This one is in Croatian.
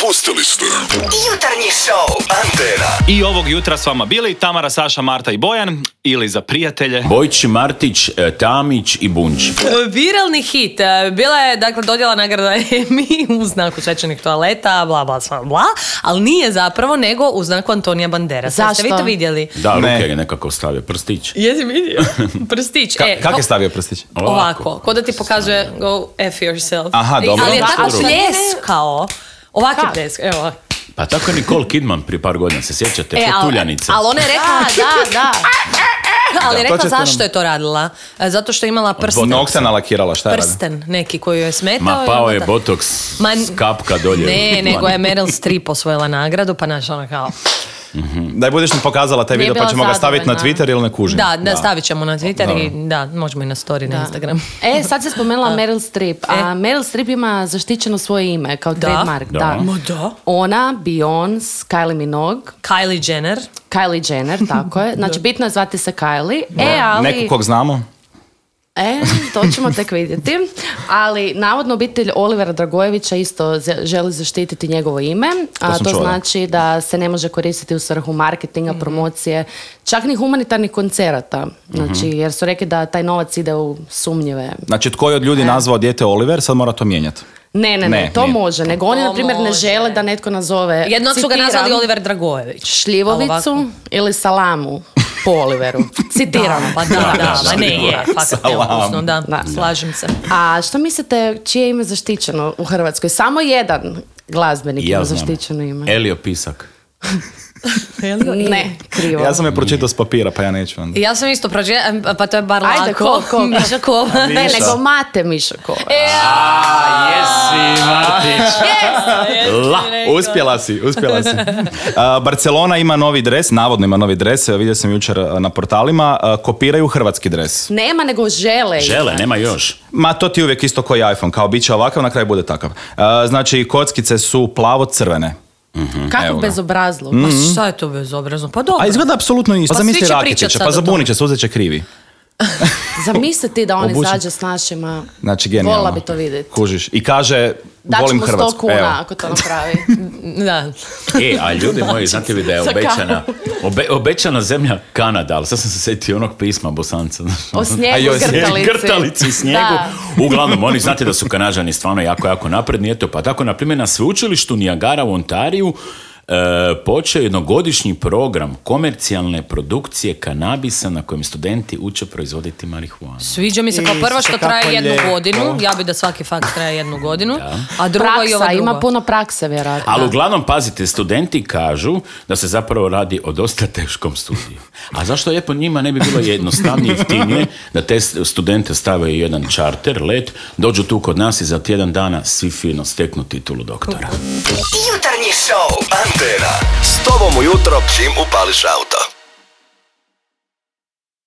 Propustili ste Jutarnji show Antena. I ovog jutra s vama bili Tamara, Saša, Marta i Bojan, ili za prijatelje Bojć, Martić, Tamić i Bunč. Viralni hit. Bila je, dakle, dodjela nagrada Emmy u znaku svečanih toaleta, bla, bla, bla, ali nije zapravo, nego u znaku Antonija Banderasa. Zašto? Ste vi to vidjeli? Da, ruke je nekako stavio, prstić. Jesi vidio? Prstić. Kak je stavio prstić? Ovako, ko da ti pokazuje go F yourself. Aha, dobro. Ali je tako Dobro. pljeskao. Ovak je pljeskao, evo. Pa tako je Nicole Kidman prije par godina, se sjećate, Fotuljanice. Ali ona je rekla, Da. ali je to rekla ćete zašto je to radila. Zato što je imala prsten. Noksa nalakirala, šta je radila? Prsten neki koji joj je smetao. Ma i pao onda je da- botox s kapka dolje. Ne, nego je Meryl Streep osvojila nagradu, pa naš ona kao... Daj budeš nam pokazala taj Nije video pa bila ćemo ga staviti na zadovoljna. Twitter ili ne kužim. Da, stavit ćemo na Twitter i da, možemo i na story na Instagram. Sad se spomenula Meryl Streep. A Meryl Streep ima zaštićeno svoje ime kao trademark. Da. Da. Ma da. Ona, Beyoncé, Kylie Minogue, Kylie Jenner. Kylie Jenner, tako je. Znači, bitno je zvati se Kylie. Ali... Neko kog znamo? To ćemo tek vidjeti. Ali navodno obitelj Olivera Dragojevića isto želi zaštititi njegovo ime. A sam to čula. znači da se ne može koristiti u svrhu marketinga, promocije, čak ni humanitarnih koncerata. Znači, jer su rekli da taj novac ide u sumnjive. Znači, tko je od ljudi nazvao dijete Oliver, sad mora to mijenjati. Ne, to nije. može. Nego oni, To na primjer, ne može. žele da netko nazove, Jednog su ga citiram, nazvali Oliver Dragojević. šljivovicu Ali ovako. ili salamu po Oliveru. Citiram. Pa da, ma ne je, fakat neukusno, da, Da. slažem se. A što mislite, čije je ime zaštićeno u Hrvatskoj? Samo jedan glazbenik Ja ima znam. zaštićeno ime. Elio Pisak. Ne, krivo. Ja sam je pročitao s papira, pa ja neću onda. Ja sam isto pročitala, pa to je bar Ajde, lako. ko? Miša Kova. Ne, nego Mate Mišakova. Jesi, Martić. Uspjela si. Barcelona ima novi dres, navodno ima novi dres, vidio sam jučer na portalima, kopiraju hrvatski dres. Nema, nego žele. Žele, nema još. Ma to ti uvijek isto koji iPhone, kao bit će ovakav, na kraju bude takav. Znači, kockice su plavo-crvene. Kako Evo ga. bezobrazluk. Ma šta je to bezobrazno? Pa dobro. A izgleda apsolutno isto. Pa Zamisli svi će Rakitića, pričat sad pa o tome. zabunit će se, uzet će krivi. Zamisli ti da on Obučen. izađe s našima. Znači, genijalno. Volila bi to vidjeti. Kužiš. I kaže, volim Daćemo 100 Hrvatsku. kuna Evo. ako to napravi. Da. A ljudi moji, znate li da je obećana zemlja Kanada, ali sad sam se sjetio onog pisma Bosanca. O A snijegu, joj, grtalici. Grtalici, snijegu. Da. Uglavnom, oni znate da su Kanađani stvarno jako napredni. Eto, pa tako, na primjer, na sveučilištu Niagara u Ontariju počeo jednogodišnji program komercijalne produkcije kanabisa na kojem studenti uče proizvoditi marihuanu. Sviđa mi se kao prvo što kako traje jednu lijepo. godinu. Ja bi da svaki fakt traje jednu godinu. A drugo i ova Praksa, druga. ima puno prakse, vjerojatno. Ali uglavnom, pazite, studenti kažu da se zapravo radi o dosta teškom studiju. A zašto lijepo njima ne bi bilo jednostavnije i jeftinije da te studente stave u jedan čarter, let, dođu tu kod nas i za tjedan dana svi fino steknu titulu doktora. Jutarnji show Antena. S tobom ujutro čim upališ auto.